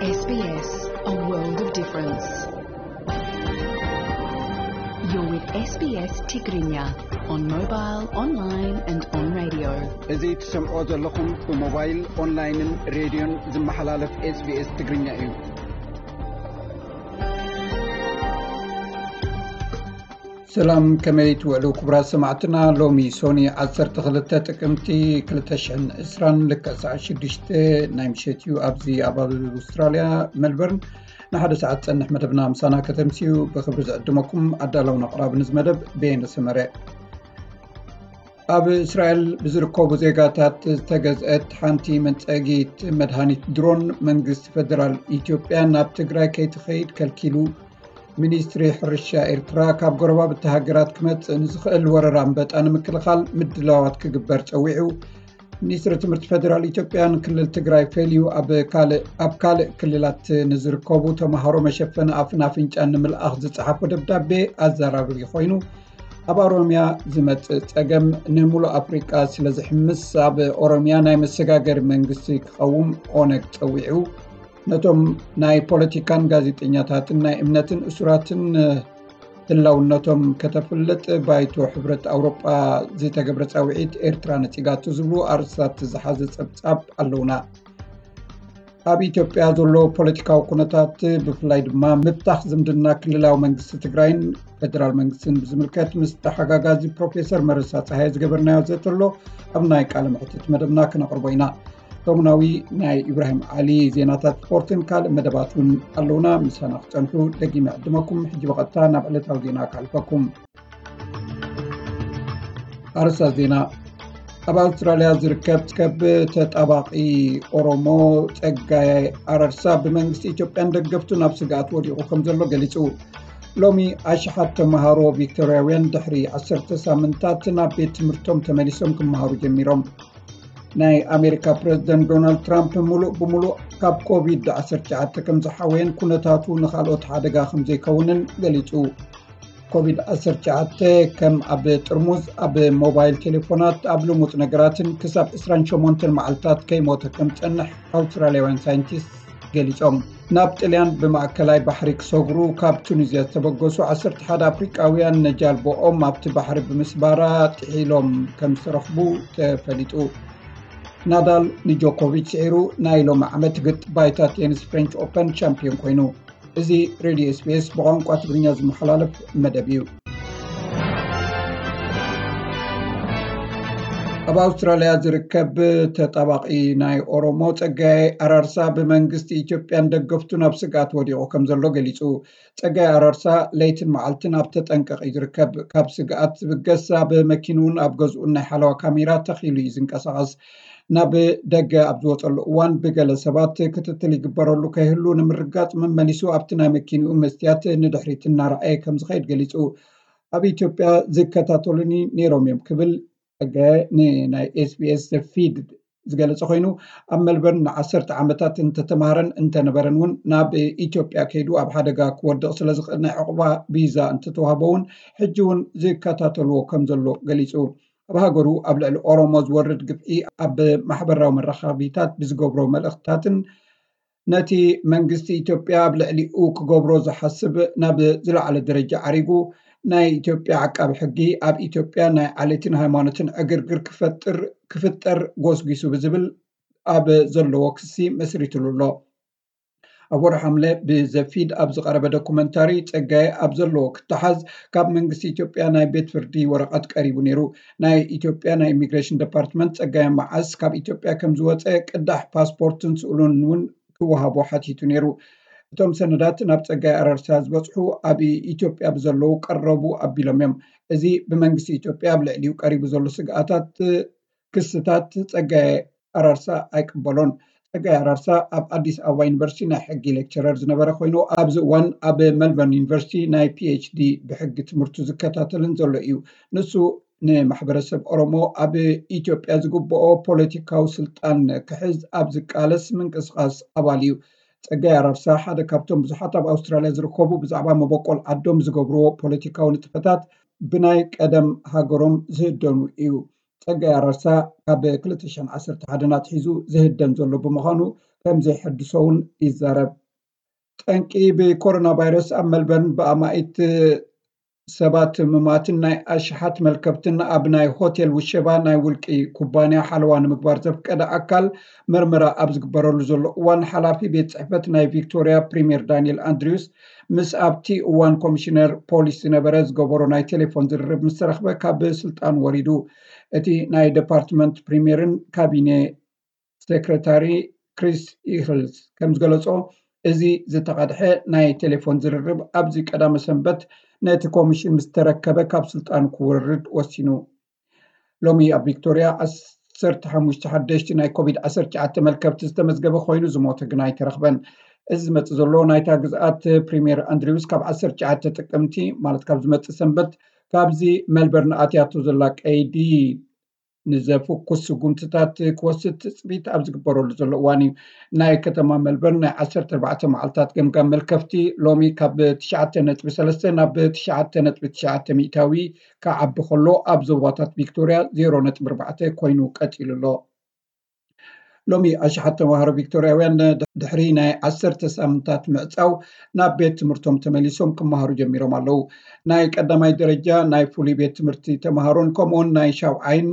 S B S, a world of difference. You're with S B S Tigrinya on mobile, online and on radio. እዚ ትሰምዖ ዘለኹም ብሞባይል፣ ኦንላይንን ሬድዮን ዝመሓላለፍ S B S ትግርኛ እዩ። ሰላም፣ ከመይ ትውዕሉ ክቡራት ሰማዕትና? ሎሚ ሶኒ ዓሰርተ ክልተ ጥቅምቲ ክልተ ሽሕን ዕስራን ልክዕ ሰዓት ሽዱሽተ ናይ ምሸት እዩ። ኣብዚ ኣብ ኣውስትራልያ ሜልበርን ንሓደ ሰዓት ጸንሕ መደብና ምሳና ከተምስዩ ብክብሪ ዝዕድመኩም ኣዳላውን ኣቕራብን እዚ መደብ በየነ ሰመረ። ኣብ እስራኤል ብዝርከቡ ዜጋታት ዝተገዝአት ሓንቲ መንጸጊት መድሃኒት ድሮን መንግስቲ ፈደራል ኢትዮጵያ ናብ ትግራይ ከይትኸይድ ከልኪሉ። ሚኒስትሪ ሕርሻ ኤርትራ ካብ ጎረባብቲ ሃገራት ክመጽእ ንዝኽእል ወረራ ኣንበጣ ንምክልኻል ምድላዋት ክግበር ጸዊዑ። ሚኒስትሪ ትምህርቲ ፈደራል ኢትዮጵያ ንክልል ትግራይ ፈልዩ ኣብ ካልእ ኣብ ካልእ ክልላት ንዝርከቡ ተምሃሮ መሸፈኒ ኣፍን ኣፍንጫን ንምልኣኽ ዝጸሓፎ ደብዳቤ ኣዘራርቢ ኮይኑ። ኣብ ኦሮምያ ዝመጽእ ጸገም ንምሉእ ኣፍሪቃ ስለ ዝሕምስ ኣብ ኦሮምያ ናይ መሰጋገሪ መንግስቲ ክቐውም ኦነግ ጸዊዑ። ነቶም ናይ ፖለቲካን ጋዜጠኛታትን ናይ እምነትን እሱራትን ህላውነቶም ከተፍልጥ ባይቶ ሕብረት ኣውሮጳ ዝተገብረ ጻውዒት ኤርትራ ነጺጋቶ ዝብሉ ኣርእስታት ዝሓዘ ጸብጻብ ኣለውና። ኣብ ኢትዮጵያ ዘሎ ፖለቲካዊ ኩነታት ብፍላይ ድማ ምብታኽ ዝምድና ክልላዊ መንግስቲ ትግራይን ፈደራል መንግስትን ብዝምልከት ምስ ተሓጋጋዚ ፕሮፌሰር መረሳ ጸሃየ ዝገበርናዮ ዘተሎ ኣብ ናይ ቃለ መሕትት መደብና ክነቕርቦ ኢና። ሰሙናዊ ናይ ኢብራሂም ዓሊ ዜናታት ስፖርትን ካልእ መደባት እውን ኣለውና። ምሳና ክጸንሑ ደጊመ ዕድመኩም። ሕጂ ብቐጥታ ናብ ዕለታዊ ዜና ከሕልፈኩም። ኣርእስታት ዜና። ኣብ ኣውስትራልያ ዝርከብ ከብ ተጣባቒ ኦሮሞ ጸጋይ ኣራርሳ ብመንግስቲ ኢትዮጵያን ደገፍቱን ኣብ ስግኣት ወዲቑ ከም ዘሎ ገሊጹ። ሎሚ ኣሽሓት ተምሃሮ ቪክቶርያውያን ድሕሪ ዓሰርተ ሳምንታት ናብ ቤት ትምህርቶም ተመሊሶም ክመሃሩ ጀሚሮም። ናይ ኣሜሪካ ፕረዚደንት ዶናልድ ትራምፕ ሙሉእ ብሙሉእ ካብ ኮቪድ ዓሰርተ ትሽዓተ ከም ዝሓወየን ኩነታቱ ንኻልኦት ሓደጋ ከም ዘይከውንን ገሊጹ። ኮቪድ ዓሰርተ ትሽዓተ ከም ኣብ ጥርሙዝ፣ ኣብ ሞባይል ቴሌፎናት፣ ኣብ ልሙጽ ነገራትን ክሳብ ዕስራን ሸሞንተን መዓልታት ከይሞተ ከም ዝጸንሕ ኣውስትራልያውያን ሳይንቲስት ገሊጾም። ናብ ጥልያን ብማእከላይ ባሕሪ ክሰግሩ ካብ ቱኒዝያ ዝተበገሱ ዓሰርተ ሓደ ኣፍሪቃውያን ነጃልቦኦም ኣብቲ ባሕሪ ብምስባራ ጥሒሎም ከም ዝተረኽቡ ተፈሊጡ። ናዳል ንጆኮቪች ስዒሩ ናይ ሎሚ ዓመት ግጥ ባይታ ቴኒስ ፍሬንች ኦፐን ቻምፒዮን ኮይኑ። እዚ ሬድዮ S B S ብቋንቋ ትግርኛ ዝመሓላለፍ መደብ እዩ። ኣብ ኣውስትራልያ ዝርከብ ተጣባቒ ናይ ኦሮሞ ጸጋይ ኣራርሳ ብመንግስቲ ኢትዮጵያን ደገፍቱ ናብ ስግኣት ወዲቑ ከም ዘሎ ገሊጹ። ጸጋይ ኣራርሳ ለይትን መዓልትን ኣብ ተጠንቀቕ እዩ ዝርከብ። ካብ ስግኣት ዝብገስ ኣብ መኪንኡን ኣብ ገዝኡን ናይ ሓለዋ ካሜራ ተኺሉ እዩ ዝንቀሳቐስ። ናብ ደገ ኣብ ዝወጸሉ እዋን ብገለ ሰባት ክትትል ይግበረሉ ከይህሉ ንምርጋጽ መመሊሱ ኣብቲ ናይ መኪንኡ መስትያት ንድሕሪት እናረኣየ ከም ዝኸይድ ገሊጹ። ኣብ ኢትዮጵያ ዝከታተሉኒ ነይሮም እዮም ክብል ጸጋየ ንናይ S B S The Feed ዝገለጸ ኮይኑ፣ ኣብ ሜልበርን ንዓሰርተ ዓመታት እንተተማሃረን እንተነበረን እውን ናብ ኢትዮጵያ ከይዱ ኣብ ሓደጋ ክወድቕ ስለ ዝኽእል ናይ ዕቑባ ቪዛ እንተተዋህቦ እውን ሕጂ እውን ዝከታተልዎ ከም ዘሎ ገሊጹ። ኣብ ሃገሩ ኣብ ልዕሊ ኦሮሞ ዝወርድ ግፍዒ ኣብ ማሕበራዊ መራኸቢታት ብዝገብሮ መልእኽትታትን ነቲ መንግስቲ ኢትዮጵያ ኣብ ልዕሊኡ ክገብሮ ዝሓስብ ናብ ዝለዓለ ደረጃ ዓሪጉ ናይ ኢትዮጵያ ዓቃቢ ሕጊ ኣብ ኢትዮጵያ ናይ ዓሌትን ሃይማኖትን ዕግርግር ክፈጥር ክፍጠር ጎስጒሱ ብዝብል ኣብ ዘለዎ ክሲ መስሪትሉ ኣሎ። ኣብ ወርሒ ሓምለ ብዘፊድ ኣብ ዝቐረበ ዶኩመንታሪ ጸጋየ ኣብ ዘለዎ ክተሓዝ ካብ መንግስቲ ኢትዮጵያ ናይ ቤት ፍርዲ ወረቐት ቀሪቡ ነይሩ። ናይ ኢትዮጵያ ናይ ኢሚግሬሽን ዲፓርትመንት ጸጋየ መዓስ ካብ ኢትዮጵያ ከም ዝወጸ ቅዳሕ ፓስፖርትን ስእሉን እውን ክወሃቦ ሓቲቱ ነይሩ። እቶም ሰነዳት ናብ ጸጋይ ኣራርሳ ዝበጽሑ ኣብ ኢትዮጵያ ብዘለዉ ቀረቡ ኣቢሎም እዮም። እዚ ብመንግስቲ ኢትዮጵያ ኣብ ልዕሊኡ ቀሪቡ ዘሎ ስግኣታት ክስታት ጸጋይ ኣራርሳ ኣይቅበሎን። ጸጋይ ኣራርሳ ኣብ ኣዲስ ኣበባ ዩኒቨርሲቲ ናይ ሕጊ ሌክቸረር ዝነበረ ኮይኑ ኣብዚ እዋን ኣብ መልበርን ዩኒቨርሲቲ ናይ PhD ብሕጊ ትምህርቱ ዝከታተልን ዘሎ እዩ። ንሱ ንማሕበረሰብ ኦሮሞ ኣብ ኢትዮጵያ ዝግብኦ ፖለቲካዊ ስልጣን ክሕዝ ኣብ ዝቃለስ ምንቅስቃስ ኣባል እዩ። ጸጋይ ኣራርሳ ሓደ ካብቶም ብዙሓት ኣብ ኣውስትራልያ ዝርከቡ ብዛዕባ መበቆል ዓዶም ዝገብርዎ ፖለቲካዊ ንጥፈታት ብናይ ቀደም ሃገሮም ዝህደኑ እዩ። ጸጋይ ኣራርሳ ካብ ክልተ ሽሕን ዓሰርተ ሓደን ኣትሒዙ ዝህደን ዘሎ ብምዃኑ ከም ዘይሐድሶ እውን ይዛረብ። ጠንቂ ብኮሮና ቫይረስ ኣብ መልበርን ብኣማኢት ሰባት ምማትን ናይ ኣሽሓት መልከብትን ኣብ ናይ ሆቴል ውሸባ ናይ ውልቂ ኩባንያ ሓለዋ ንምግባር ዘፍቀደ ኣካል መርመራ ኣብ ዝግበረሉ ዘሎ እዋን፣ ሓላፊ ቤት ጽሕፈት ናይ ቪክቶሪያ ፕሪምየር ዳንኤል ኣንድሪውስ ምስ ኣብቲ እዋን ኮሚሽነር ፖሊስ ዝነበረ ዝገበሮ ናይ ቴሌፎን ዝርርብ ምስ ተረኽበ ካብ ስልጣን ወሪዱ። እቲ ናይ ዲፓርትመንት ፕሪምየርን ካቢኔ ሴክረታሪ ክሪስ ኢክልስ ከም ዝገለጾ፣ እዚ ዝተቐድሐ ናይ ቴሌፎን ዝርርብ ኣብዚ ቀዳመ ሰንበት ነቲ ኮሚሽን ምስ ተረከበ ካብ ስልጣኑ ክወርድ ወሲኑ። ሎሚ ኣብ ቪክቶሪያ ዓሰርተ ሓሙሽተ ሓደሽቲ ናይ ኮቪድ ዓሰርተ ትሽዓተ መልከፍቲ ዝተመዝገበ ኮይኑ፣ ዝሞተ ግን ኣይተረኽበን። እዚ ዝመጽእ ዘሎ ናይታ ግዝኣት ፕሪምየር ኣንድሪውስ ካብ ዓሰርተ ትሽዓተ ጥቅምቲ፣ ማለት ካብ ዝመጽእ ሰንበት፣ ካብዚ መልበርን ኣትያቶ ዘላ ቀይዲ ንዘፍኩስ ስጉምትታት ክወስድ ትጽቢት ኣብ ዝግበረሉ ዘሎ እዋን እዩ። ናይ ከተማ መልበርን ናይ ዓሰርተ ኣርባዕተ መዓልታት ገምጋም መልከፍቲ ሎሚ ካብ ትሽዓተ ነጥቢ ሰለስተ ናብ ትሽዓተ ነጥቢ ትሽዓተ ሚእታዊ ክዓቢ ከሎ፣ ኣብ ዞባታት ቪክቶሪያ ዜሮ ነጥቢ ኣርባዕተ ኮይኑ ቀጺሉ ኣሎ። ሎሚ ኣሽሓት ተማሃሮ ቪክቶርያውያን ድሕሪ ናይ ዓሰርተ ሳምንታት ምዕጻው ናብ ቤት ትምህርቶም ተመሊሶም ክመሃሩ ጀሚሮም ኣለዉ። ናይ ቀዳማይ ደረጃ ናይ ፍሉይ ቤት ትምህርቲ ተማሃሮን ከምኡውን ናይ ሻውዓይን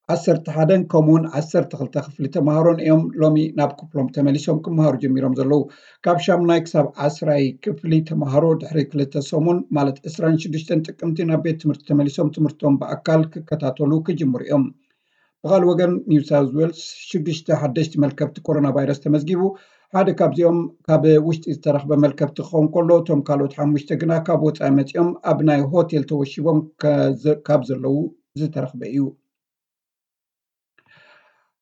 ዓሰርተ ሓደን ከምኡውን ዓሰርተ ክልተ ክፍሊ ተማሃሮን እዮም ሎሚ ናብ ክፍሎም ተመሊሶም ክመሃሩ ጀሚሮም ዘለዉ። ካብ ሻሙናይ ክሳብ ዓስራይ ክፍሊ ተማሃሮ ድሕሪ ክልተ ሰሙን፣ ማለት ዕስራን ሽዱሽተን ጥቅምቲ፣ ናብ ቤት ትምህርቲ ተመሊሶም ትምህርቶም ብኣካል ክከታተሉ ክጅምሩ እዮም። ብኻልእ ወገን፣ ኒው ሳውዝ ዌልስ ሽዱሽተ ሓደሽቲ መልከፍቲ ኮሮና ቫይረስ ተመዝጊቡ። ሓደ ካብዚኦም ካብ ውሽጢ ዝተረኽበ መልከፍቲ ክኸውን ከሎ፣ እቶም ካልኦት ሓሙሽተ ግና ካብ ወጻኢ መጺኦም ኣብ ናይ ሆቴል ተወሺቦም ከዘ-፣ ካብ ዘለዉ ዝተረኽበ እዩ።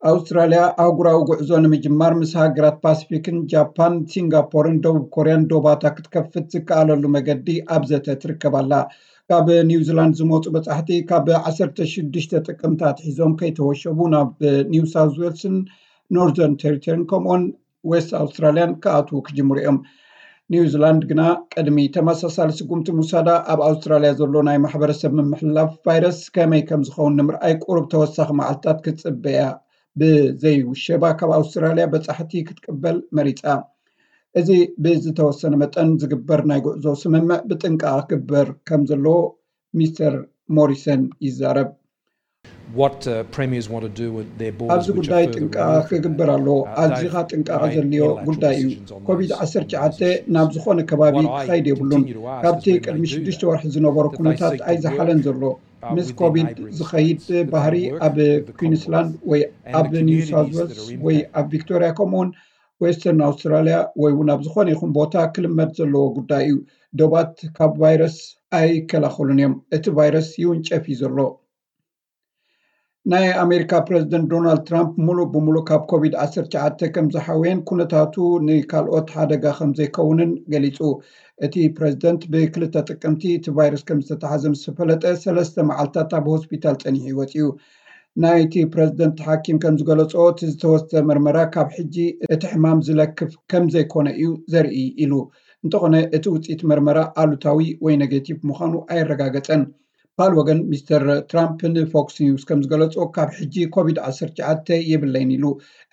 ኣውስትራልያ ኣህጉራዊ ጉዕዞ ንምጅማር ምስ ሃገራት ፓሲፊክን ጃፓን፣ ሲንጋፖርን ደቡብ ኮርያን ዶባታ ክትከፍት ዝከኣለሉ መገዲ ኣብ ዘተ ትርከብ ኣላ። ካብ ኒውዚላንድ ዝመጹ በጻሕቲ ካብ ዓሰርተ ሽዱሽተ ጥቅምቲ ኣትሒዞም ከይተወሸቡ ናብ ኒው ሳውዝ ዌልስን ኖርዘርን ቴሪቶሪን ከምኡውን ዌስት ኣውስትራልያን ክኣትዉ ክጅምሩ እዮም። ኒውዚላንድ ግና ቅድሚ ተመሳሳሊ ስጉምቲ ምውሳዳ ኣብ ኣውስትራልያ ዘሎ ናይ ማሕበረሰብ ምምሕልላፍ ቫይረስ ከመይ ከም ዝኸውን ንምርኣይ ቁሩብ ተወሳኺ መዓልትታት ክትጽበያ ብዘይውሸባ ካብ ኣውስትራልያ በጻሕቲ ክትቅበል መሪጻ። እዚ ብዝተወሰነ መጠን ዝግበር ናይ ጉዕዞ ስምምዕ ብጥንቃቐ ክግበር ከም ዘለዎ ሚስተር ሞሪሰን ይዛረብ። What uh, premiers want to do with their borders, ኣብዚ ጉዳይ ጥንቃቐ ክግበር ኣለዎ። ኣዚኻ ጥንቃቐ ዘድልዮ ጉዳይ እዩ። ኮቪድ ዓሰርተ ትሽዓተ ናብ ዝኾነ ከባቢ ክኸይድ የብሉን። ካብቲ ቅድሚ ሽዱሽተ ወርሒ ዝነበሮ ኩነታት ኣይዝሓለን ዘሎ። ምስ ኮቪድ ዝኸይድ ባህሪ ኣብ ኩዊንስላንድ ወይ ኣብ ኒው ሳውዝ ዌልስ ወይ ኣብ ቪክቶሪያ ከምኡውን ዌስተርን ኣውስትራልያ ወይ እውን ኣብ ዝኾነ ይኹን ቦታ ክልመድ ዘለዎ ጉዳይ እዩ። ዶባት ካብ ቫይረስ ኣይከላኸሉን እዮም። እቲ ቫይረስ ይውንጨፍ እዩ ዘሎ። ናይ ኣሜሪካ ፕረዚደንት ዶናልድ ትራምፕ ሙሉእ ብሙሉእ ካብ ኮቪድ ዓሰርተ ትሽዓተ ከም ዝሓወየን ኩነታቱ ንካልኦት ሓደጋ ከም ዘይከውንን ገሊጹ። እቲ ፕረዚደንት ብክልተ ጥቅምቲ እቲ ቫይረስ ከም ዝተተሓዘ ምስ ተፈለጠ ሰለስተ መዓልታት ኣብ ሆስፒታል ጸኒሑ እዩ ወጺኡ። ናይቲ ፕረዚደንት ሓኪም ከም ዝገለጾ፣ እቲ ዝተወስደ መርመራ ካብ ሕጂ እቲ ሕማም ዝለክፍ ከም ዘይኮነ እዩ ዘርኢ ኢሉ። እንተኾነ እቲ ውጽኢት መርመራ ኣሉታዊ ወይ ኔጌቲቭ ምዃኑ ኣየረጋገጸን። ፓል ወገን ሚስተር ትራምፕ ንፎክስ ኒውስ ከም ዝገለጾ፣ ካብ ሕጂ ኮቪድ ዓሰርተ ትሽዓተ የብለይን ኢሉ።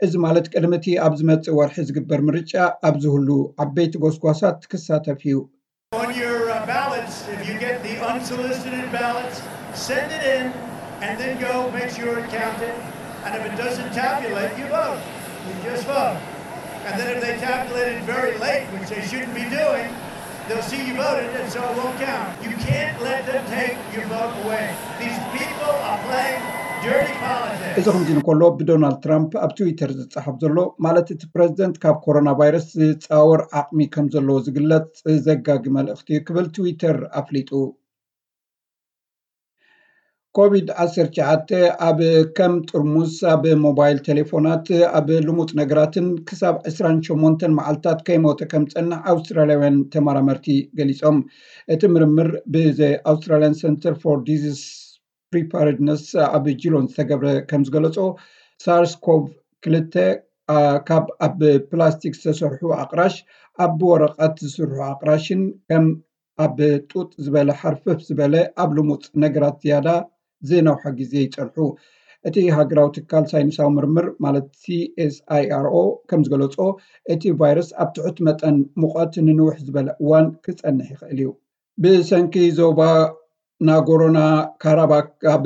እዚ ማለት ቅድሚ እቲ ኣብ ዝመጽእ ወርሒ ዝግበር ምርጫ ኣብ ዝህሉ ዓበይቲ ጎስጓሳት ክሳተፍ እዩ። On your uh, ballots, if you get the unsolicited ballots, send it in and then go make sure it counted. And if it doesn't tabulate, you vote. You just vote. And then if they tabulate it very late, which they shouldn't be doing, they'll see you voted and so it won't count. You can't let them take your vote away. These people are playing dirty politics. እዚ ከምዚ እንከሎ፣ ብዶናልድ ትራምፕ ኣብ ትዊተር ዝጸሓፍ ዘሎ፣ ማለት እቲ ፕረዚደንት ካብ ኮሮና ቫይረስ ዝጻወር ዓቕሚ ከም ዘለዎ ዝግለጽ ዘጋጊ መልእኽቲ እዩ ክብል ትዊተር ኣፍሊጡ። ኮቪድ ዓሰርተ ትሽዓተ ኣብ ከም ጥርሙዝ፣ ኣብ ሞባይል ቴሌፎናት፣ ኣብ ልሙጽ ነገራትን ክሳብ ዕስራን ሸሞንተን መዓልታት ከይሞተ ከም ዝጸንሕ ኣውስትራልያውያን ተመራመርቲ ገሊጾም። እቲ ምርምር ብዘ ኣውስትራልያን ሰንተር ፎር ዲዚዝ ፕሪፓርድነስ ኣብ ጂሎን ዝተገብረ ከም ዝገለጾ፣ ሳርስ ኮቭ ክልተ ካብ ኣብ ፕላስቲክ ዝተሰርሑ ኣቕራሽ ኣብ ብወረቐት ዝስርሑ ኣቕራሽን ከም ኣብ ጡጥ ዝበለ ሓርፍፍ ዝበለ ኣብ ልሙጽ ነገራት ዝያዳ ዝነውሐ ግዜ ይጸንሑ። እቲ ሃገራዊ ትካል ሳይንሳዊ ምርምር ማለት CSIRO ከም ዝገለጾ፣ እቲ ቫይረስ ኣብ ትሑት መጠን ሙቐት ንንውሕ ዝበለ እዋን ክጸንሕ ይኽእል እዩ። ብሰንኪ ዞባ ናጎሮና ካራባክ ኣብ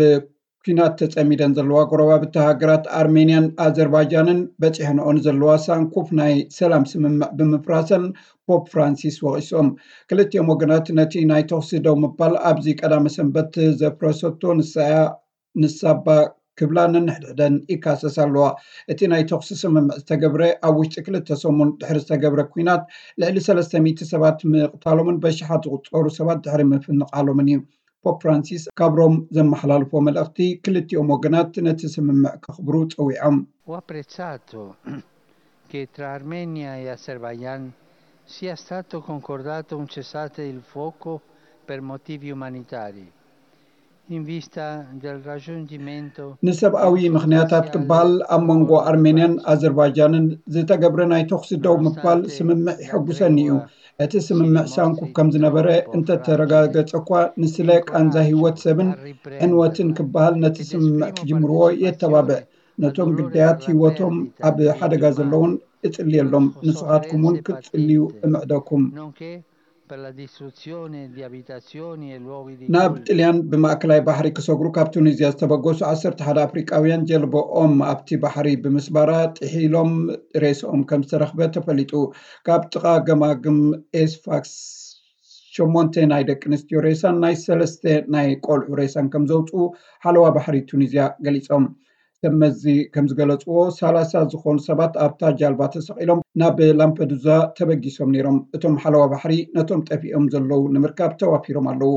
ኲናት ተጸሚደን ዘለዋ ጎረባብቲ ሃገራት ኣርሜንያን ኣዘርባይጃንን በጺሐንኦ ንዘለዋ ሳንኩፍ ናይ ሰላም ስምምዕ ብምፍራሰን ፖፕ ፍራንሲስ ወቒሶም። ክልቲኦም ወገናት ነቲ ናይ ተኹሲ ደው ምባል ኣብዚ ቀዳመ ሰንበት ዘፍረሰቶ ንሳያ ንሳባ ክብላ ነንሕድሕደን ይካሰስ ኣለዋ። እቲ ናይ ተኹሲ ስምምዕ ዝተገብረ ኣብ ውሽጢ ክልተ ሰሙን ድሕሪ ዝተገብረ ኲናት ልዕሊ ሰለስተ ሚእቲ ሰባት ምቕታሎምን በሽሓት ዝቑጸሩ ሰባት ድሕሪ ምፍንቓሎምን እዩ። ፖፕ ፍራንሲስ ካብ ሮም ዘመሓላልፎ መልእኽቲ ክልቲኦም ወገናት ነቲ ስምምዕ ከኽብሩ ጸዊዖም። Ho apprezzato che tra Armenia e Azerbaijan sia stato concordato un cessate il fuoco per motivi umanitari, in vista del raggiungimento ንሰብኣዊ ምኽንያታት ክበሃል ኣብ መንጎ ኣርሜንያን ኣዘርባይጃንን ዝተገብረ ናይ ተኹሲ ደው ምባል ስምምዕ ይሐጉሰኒ እዩ። እቲ ስምምዕ ሳንኩፍ ከም ዝነበረ እንተተረጋገጸ እኳ፣ ንስለ ቃንዛ ህይወት ሰብን ዕንወትን ክበሃል ነቲ ስምምዕ ክጅምርዎ የተባብዕ። ነቶም ግዳያት ህይወቶም ኣብ ሓደጋ ዘለውን እጽልየሎም። ንስኻትኩም እውን ክትጽልዩ እምዕደኩም። nonché per la distruzione di abitazioni e luoghi di ናብ culto. ጥልያን ብማእከላይ ባሕሪ ክሰግሩ ካብ ቱኒዝያ ዝተበገሱ ዓሰርተ ሓደ ኣፍሪቃውያን ጀልባኦም ኣብቲ ባሕሪ ብምስባራ ጥሒሎም ሬስኦም ከም ዝተረኽበ ተፈሊጡ። ካብ ጥቓ ገማግም ኤስፋክስ ሸሞንተ ናይ ደቂ ኣንስትዮ ሬሳን ናይ ሰለስተ ናይ ቆልዑ ሬሳን ከም ዘውፅኡ ሓለዋ ባሕሪ ቱኒዝያ ገሊፆም። ሰብ መዚ ከም ዝገለፅዎ፣ ሰላሳ ዝኾኑ ሰባት ኣብታ ጃልባ ተሰቒሎም ናብ ላምፐዱዛ ተበጊሶም ነይሮም። እቶም ሓለዋ ባሕሪ ነቶም ጠፊኦም ዘለዉ ንምርካብ ተዋፊሮም ኣለዉ።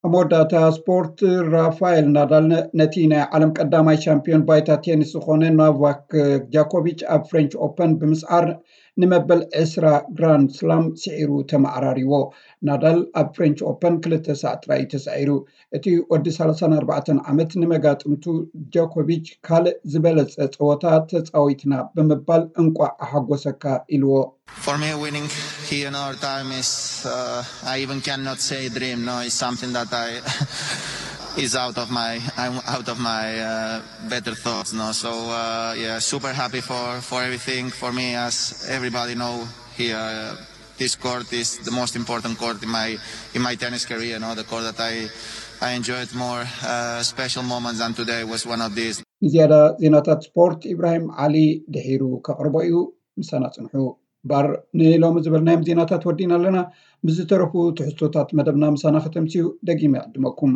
ኣብ መወዳእታ ስፖርት፣ ራፋኤል ናዳል ነ- ነቲ ናይ ዓለም ቀዳማይ ሻምፒዮን ባይታ ቴኒስ ዝኾነ ኖቫክ ጃኮቪች ኣብ ፍሬንች ኦፐን ብምስዓር ንመበል ዕስራ ግራንድ ስላም ስዒሩ ተመዓራሪዎ። ናዳል ኣብ ፍሬንች ኦፐን ክልተ ሳዕ ጥራይ እዩ ተሳዒሩ። እቲ ወዲ ሰላሳን ኣርባዕተን ዓመት ንመጋጥምቱ ጆኮቪች ካልእ ዝበለጸ ጸወታ ተጻዊትና ብምባል እንቋዕ ኣሓጎሰካ ኢልዎ። For me, winning here in our time is, uh, I even cannot say dream. No, it's something that I is out of my I'm out of my uh, better thoughts. No, so uh, yeah, super happy for for everything. For me, as everybody know here, uh, this court is the most important court in my in my tennis career. No, the court that I I enjoyed more uh, special moments than today was one of these. ንዝያዳ ዜናታት ስፖርት ኢብራሂም ዓሊ ድሒሩ ከቕርቦ እዩ። ምሳና ጽንሑ። ባር ንሎሚ ዝበልናዮም ዜናታት ወዲና ኣለና። ምስ ዝተረፉ ትሕዝቶታት መደብና ምሳና ከተምስዩ ደጊመ ይዕድመኩም።